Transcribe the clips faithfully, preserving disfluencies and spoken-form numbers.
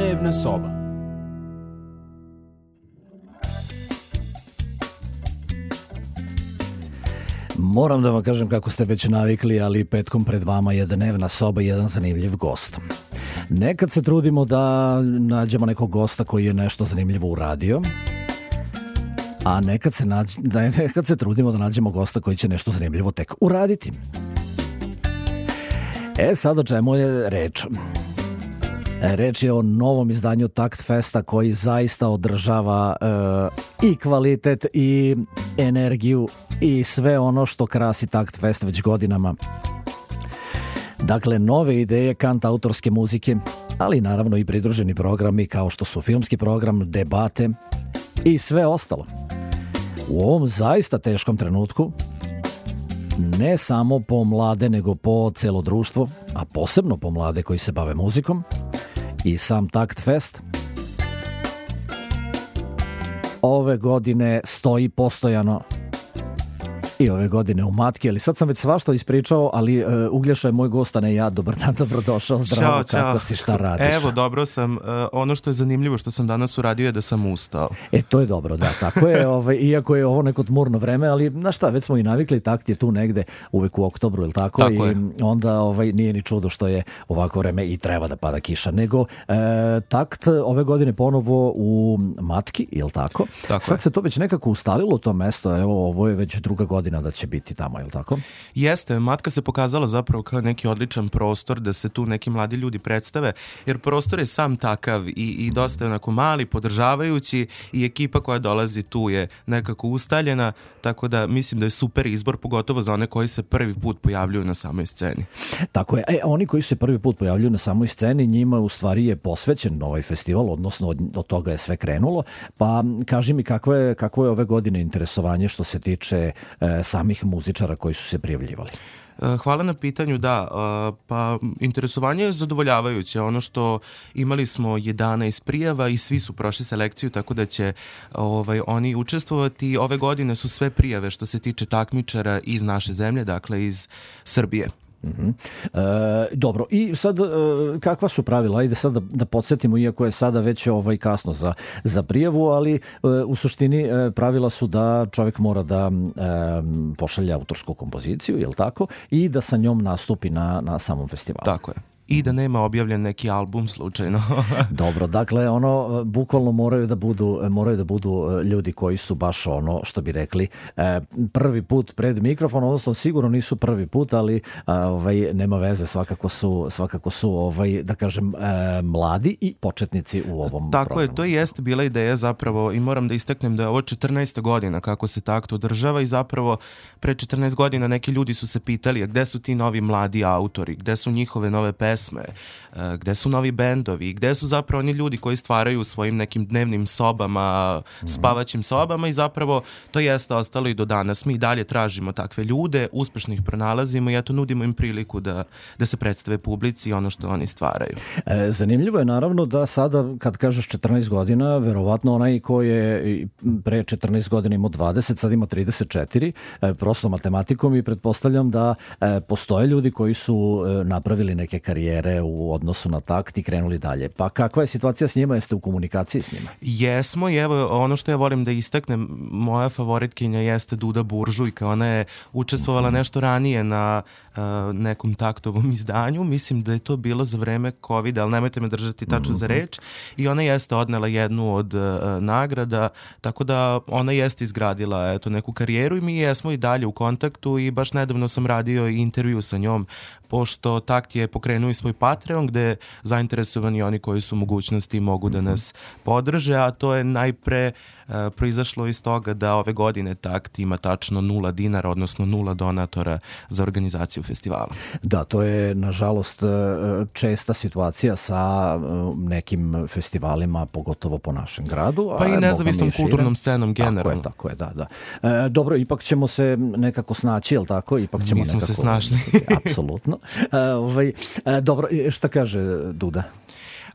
Dnevna soba. Moram da vam kažem kako ste već navikli, ali petkom pred vama je Dnevna soba i jedan zanimljiv gost. Nekad se trudimo da nađemo nekog gosta koji je nešto zanimljivo uradio, a nekad se, nađ... nekad se trudimo da nađemo gosta koji će nešto zanimljivo tek uraditi. E sad o čemu je reč? Reč je o novom izdanju Takt Festa koji zaista održava e, i kvalitet i energiju i sve ono što krasi Takt Fest već godinama. Dakle, nove ideje, kant autorske muzike, ali naravno i pridruženi programi kao što su filmski program, debate i sve ostalo. U ovom zaista teškom trenutku, ne samo po mlade, nego po celo društvo, a posebno po mlade koji se bave muzikom, i sam Takt Fest ove godine stoji postojano i ove godine u matki, ali sad sam već svašta ispričao, ali uh, Uglješa je moj gost, a ne ja. Dobar dan, dobrodošao, zdravo, čao, kako čao. si, šta radiš? Evo, dobro sam. Uh, ono što je zanimljivo što sam danas uradio je da sam ustao. E, to je dobro, da, tako je, ovaj, iako je ovo neko tmurno vreme, ali znaš šta, već smo i navikli, Takt je tu negde uvek u oktobru, ili tako? Tako I je. onda ovaj, nije ni čudo što je ovako vreme i treba da pada kiša, nego e, Takt ove godine ponovo u matki, ili tako? Tako sad je. se to već nekako ustalilo to mesto, evo, ovo je već druga godina da će biti tamo, ili tako? Jeste, matka se pokazala zapravo kao neki odličan prostor da se tu neki mladi ljudi predstave, jer prostor je sam takav i, i dosta je onako mali, podržavajući, i ekipa koja dolazi tu je nekako ustaljena, tako da mislim da je super izbor, pogotovo za one koji se prvi put pojavljuju na samoj sceni. Tako je. E, oni koji se prvi put pojavljuju na samoj sceni, njima u stvari je posvećen ovaj festival, odnosno od, od toga je sve krenulo. Pa kaži mi kakvo je, kakvo je ove godine interesovanje što se tiče e, samih muzičara koji su se prijavljivali? Hvala na pitanju, da, pa interesovanje je zadovoljavajuće, ono što imali smo jedanaest prijava i svi su prošli selekciju, tako da će ovaj, oni učestvovati. Ove godine su sve prijave što se tiče takmičara iz naše zemlje, dakle iz Srbije. Uh-huh. E, dobro, i sad e, kakva su pravila? Ajde sad da, da podsjetimo, iako je sada već ovaj kasno za, za prijavu, ali e, u suštini e, pravila su da čovjek mora da e, pošalje autorsku kompoziciju, je li tako? I da sa njom nastupi na, na samom festivalu. Tako je. I da nema objavljen neki album slučajno. Dobro, dakle, ono, bukvalno moraju da budu, moraju da budu ljudi koji su baš ono, što bi rekli, prvi put pred mikrofon, odnosno sigurno nisu prvi put, ali ovaj, nema veze, svakako su, svakako su ovaj, da kažem, mladi i početnici u ovom Tako programu. je, to jeste bila ideja zapravo, i moram da istaknem da je ovo četrnaesta godina kako se Takt održava, i zapravo pre četrnaest godina neki ljudi su se pitali, a gde su ti novi mladi autori, gde su njihove nove pesme, gde su novi bendovi, gde su zapravo oni ljudi koji stvaraju u svojim nekim dnevnim sobama, spavaćim sobama, i zapravo to jeste ostalo i do danas. Mi dalje tražimo takve ljude, uspešno ih pronalazimo i eto nudimo im priliku da, da se predstave publici i ono što oni stvaraju. E, zanimljivo je naravno da sada kad kažeš četrnaest godina, verovatno onaj ko je pre četrnaest godina imao dvadeset, sad ima trideset četiri, e, prosto matematikom, i pretpostavljam da e, postoje ljudi koji su e, napravili neke karijere u odnosu na Takt i krenuli dalje. Pa kakva je situacija s njima? Jeste u komunikaciji s njima? Jesmo, i evo ono što ja volim da istaknem, moja favoritkinja jeste Duda Buržujka. Ona je učestvovala nešto ranije na uh, nekom Taktovom izdanju. Mislim da je to bilo za vreme kovida, ali nemojte me držati tačno za reč. I ona jeste odnela jednu od uh, nagrada, tako da ona jeste izgradila eto, neku karijeru, i mi jesmo i dalje u kontaktu, i baš nedavno sam radio i intervju sa njom, pošto Takt je pokrenuo i svoj Patreon gde zainteresovani oni koji su u mogućnosti mogu da nas podrže, a to je najpre uh, proizašlo iz toga da ove godine Takt ima tačno nula dinara, odnosno nula donatora za organizaciju festivala. Da, to je nažalost česta situacija sa nekim festivalima, pogotovo po našem gradu. Pa a i nezavisnom i kulturnom scenom generalno. Tako je, tako je, da, da. E, dobro, ipak ćemo se nekako snaći, jel tako? Ipak ćemo Mi smo nekako se snašli. Apsolutno. E, ovaj, e, dobro, šta kaže Duda?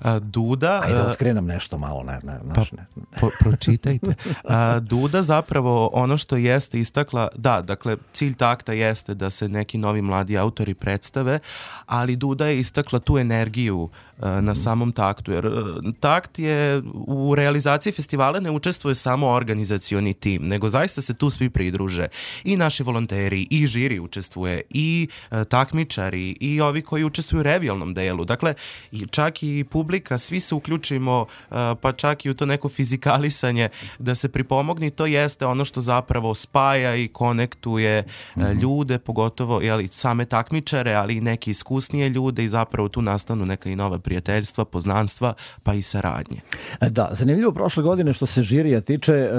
A, Duda... Ajde, otkrije nam nešto malo, ne, ne, pa, ne. Po, pročitajte. A, Duda zapravo ono što jeste istakla, da, dakle, cilj takta jeste da se neki novi mladi autori predstave, ali Duda je istakla tu energiju a, na samom taktu, jer a, takt je u realizaciji festivala ne učestvuje samo organizacioni tim, nego zaista se tu svi pridruže. I naši volonteri, i žiri učestvuje, i a, takmičari, i ovi koji učestvuju u revijalnom delu. Dakle, i čak i publika, svi se uključimo, a, pa čak i u to neko fizikalisanje da se pripomogni, to jeste ono što zapravo spaja i konektuje mm-hmm. ljude, pogotovo jeli, same takmičare, ali i neke iskusnije ljude i zapravo tu nastanu neka i nova prijateljstva, poznanstva, pa i saradnje. Da, zanimljivo prošle godine što se žirija tiče, e,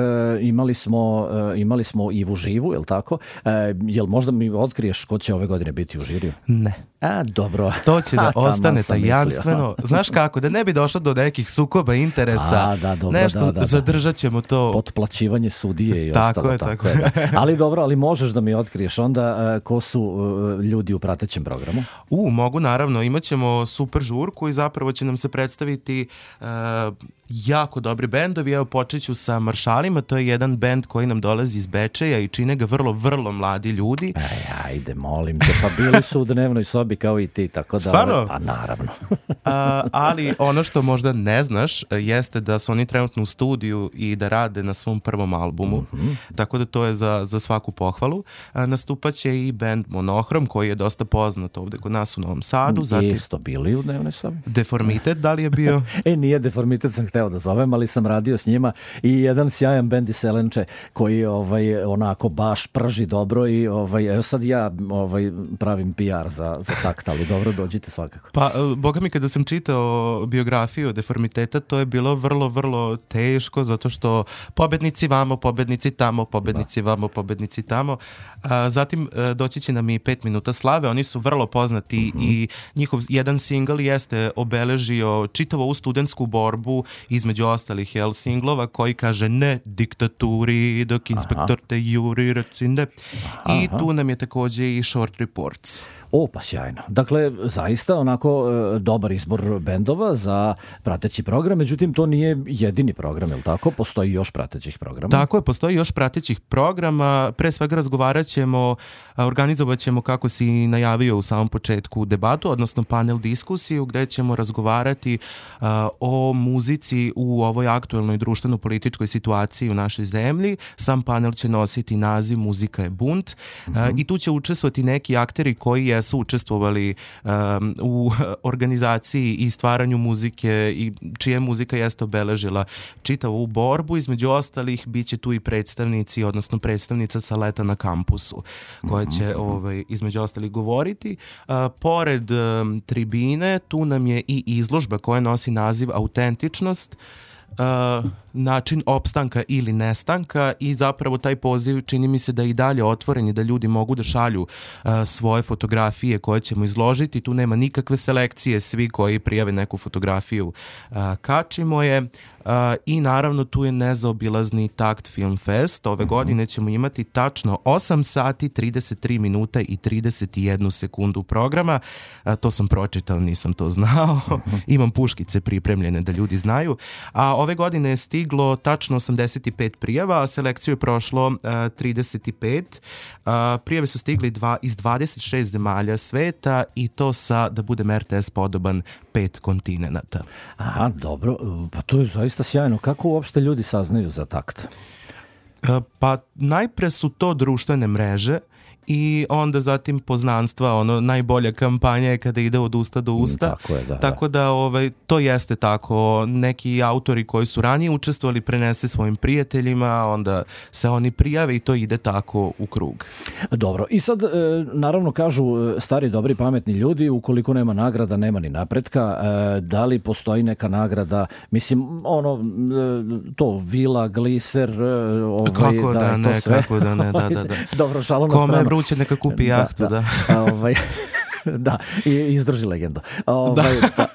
imali smo e, imali smo Ivu Živu, je li tako? E, jel možda mi otkriješ ko će ove godine biti u žiriju? Ne. A, dobro. To će da ostane tajanstveno. Znaš kako, da ne bi došlo do nekih sukoba interesa, A, da, dobro, nešto da, da, zadržat ćemo to. Potplaćivanje sudije i tako ostalo. Je, tako tako je, da. Ali dobro, ali možeš da mi otkriješ onda uh, ko su uh, ljudi u pratećem programu? U, mogu naravno. Imaćemo super žurku i zapravo će nam se predstaviti uh, jako dobri bendovi. Evo počet ću sa Maršalima, to je jedan bend koji nam dolazi iz Bečeja i čine ga vrlo, vrlo mladi ljudi. Aj, ajde, molim te, pa bili su u dnevnoj sobi kao i ti, tako da... Stvarno? Pa naravno. A, ali ono što možda ne znaš jeste da su oni trenutno u studiju i da rade na svom prvom albumu, mm-hmm. tako da to je za, za svaku pohvalu. A, nastupaće i band Monohrom koji je dosta poznat ovde kod nas u Novom Sadu. Zatim, isto bili u dnevnoj sobi. Deformitet, da li je bio? E, nije Deformitet, sam hteo da zovem, ali sam radio s njima i jedan sjajan bend iz Selenče koji ovaj, onako baš prži dobro i ovaj, evo sad ja ovaj, pravim P R za, za takt, ali dobro, dođite svakako. Pa, boga mi, kada sam čitao biografiju Deformiteta, to je bilo vrlo, vrlo teško, zato što pobednici vamo, pobednici tamo, pobednici vamo, pobednici tamo. A, zatim doći će nam i pet minuta slave, oni su vrlo poznati mm-hmm. i njihov jedan singl jeste obeležio čitavo ovu studentsku borbu između ostalih jel, singlova koji kaže ne diktaturi dok inspektor Aha. te juri reci ne. I Aha. tu nam je takođe i Short Reports. O, pa sjajno. Dakle, zaista onako e, dobar izbor bendova za prateći program, međutim to nije jedini program, je li tako? Postoji još pratećih programa? Tako je, postoji još pratećih programa. Pre svega razgovarat ćemo, organizovat ćemo, kako si najavio u samom početku, debatu, odnosno panel diskusiju gde ćemo razgovarati a, o muzici u ovoj aktuelnoj društveno-političkoj situaciji u našoj zemlji. Sam panel će nositi naziv Muzika je bunt mm-hmm. a, i tu će učestvovati neki akteri koji je su učestvovali um, u organizaciji i stvaranju muzike i čija muzika jeste obeležila čitavu borbu. Između ostalih bit će tu i predstavnici, odnosno predstavnica sa leta na kampusu koja će mm-hmm. ovaj, između ostalih govoriti. Uh, pored um, tribine tu nam je i izložba koja nosi naziv Autentičnost, Uh, način opstanka ili nestanka i zapravo taj poziv čini mi se da je i dalje otvoren i da ljudi mogu da šalju uh, svoje fotografije koje ćemo izložiti. Tu nema nikakve selekcije, svi koji prijave neku fotografiju uh, kačimo je. Uh, i naravno tu je nezaobilazni Takt Film Fest. Ove uh-huh. godine ćemo imati tačno osam sati, trideset tri minuta i trideset jednu sekundu programa. Uh, to sam pročitao, nisam to znao. Uh-huh. Imam puškice pripremljene da ljudi znaju. A ove godine je stiglo tačno osamdeset pet prijava, a selekciju je prošlo uh, trideset pet. Uh, prijave su stigli dva, iz dvadeset šest zemalja sveta i to sa, da budem R T S podoban, pet kontinenata. Aha, dobro. Pa to je zaista sjajno. Kako uopšte ljudi saznaju za Takt? Uh, pa najpre su to društvene mreže i onda zatim poznanstva, ono, najbolja kampanja je kada ide od usta do usta. Tako je, da. Tako da, ovaj, to jeste tako. Neki autori koji su ranije učestvovali prenese svojim prijateljima, onda se oni prijave i to ide tako u krug. Dobro. I sad, naravno, kažu stari, dobri, pametni ljudi, ukoliko nema nagrada, nema ni napretka. Da li postoji neka nagrada? Mislim, ono, to, vila, gliser, ovaj, kako da, da ne, to sve. kako da ne, da, da, da. Dobro, šalo na stranu. Kome je vruće, neka kupi jahtu, da. da. da. ovaj, da, i izdrži legendu. Ovaj, da.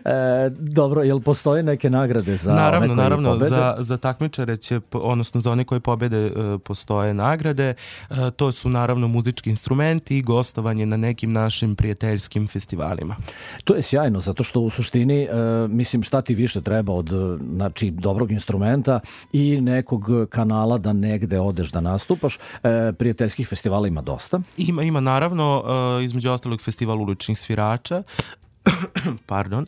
E, dobro, jel postoje neke nagrade za naravno, one koji naravno, pobede? Za, za takmičare će, odnosno za one koji pobede uh, postoje nagrade. Uh, to su naravno muzički instrumenti i gostovanje na nekim našim prijateljskim festivalima. To je sjajno, zato što u suštini, e, mislim, šta ti više treba od znači, dobrog instrumenta i nekog kanala da negde odeš da nastupaš. E, prijateljskih festivala ima dosta. Ima, ima naravno, uh, između ostalog festival uličnih svirača. Pardon.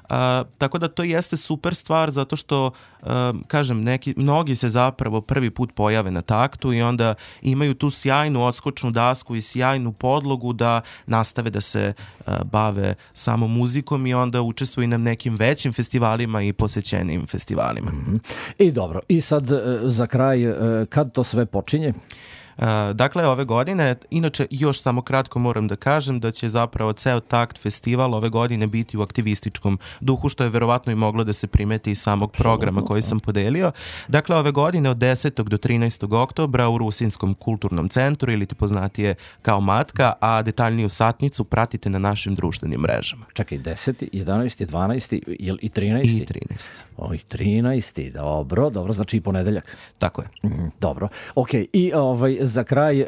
Uh, tako da to jeste super stvar zato što, uh, kažem, neki, mnogi se zapravo prvi put pojave na taktu i onda imaju tu sjajnu odskočnu dasku i sjajnu podlogu da nastave da se uh, bave samo muzikom i onda učestvuju na nekim većim festivalima i posećenim festivalima. Mm-hmm. I dobro, i sad uh, za kraj, uh, kad to sve počinje? Uh, dakle, ove godine, inače još samo kratko moram da kažem da će zapravo ceo Takt festival ove godine biti u aktivističkom duhu, što je verovatno i moglo da se primeti iz samog programa koji sam podelio. Dakle, ove godine od desetog do trinaestog oktobra u Rusinskom kulturnom centru, ili ti poznatije kao Matka, a detaljniju satnicu pratite na našim društvenim mrežama. Čekaj, deseti, jedanaesti, dvanaesti jel i trinaesti? I trinaesti. O, i trinaesti, dobro, dobro, znači i ponedeljak. Tako je. Mm, dobro, okej, okay. I ovaj, za kraj, e,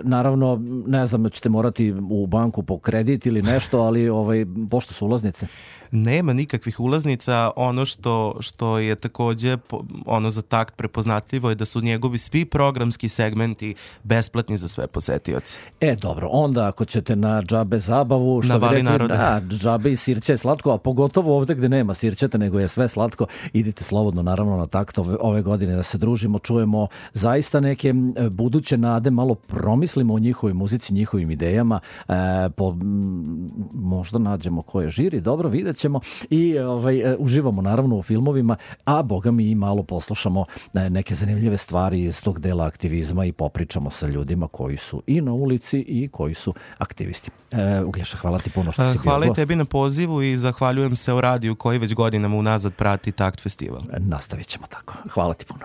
naravno, ne znam, ćete morati u banku po kredit ili nešto, ali ovaj, pošto su ulaznice? Nema nikakvih ulaznica. Ono što, što je takođe ono za Takt prepoznatljivo je da su njegovi svi programski segmenti besplatni za sve posetioce. E, dobro, onda ako ćete na džabe zabavu, što na bi rekli, naroda. na džabe i sirće je slatko, a pogotovo ovde gde nema sirćeta, nego je sve slatko, idite slobodno naravno na Takt ove, ove godine da se družimo, čujemo zaista neke buduće nade, malo promislimo o njihovoj muzici, njihovim idejama, e, po, možda nađemo ko je žiri, dobro, vidjet ćemo i ovaj, uživamo naravno u filmovima, a boga mi i malo poslušamo neke zanimljive stvari iz tog dela aktivizma i popričamo sa ljudima koji su i na ulici i koji su aktivisti. E, Uglješa, hvala ti puno što si bio gost. Hvala i tebi na pozivu i zahvaljujem se o radiju koji već godinama unazad prati Takt festival. Nastavit ćemo tako. Hvala ti puno.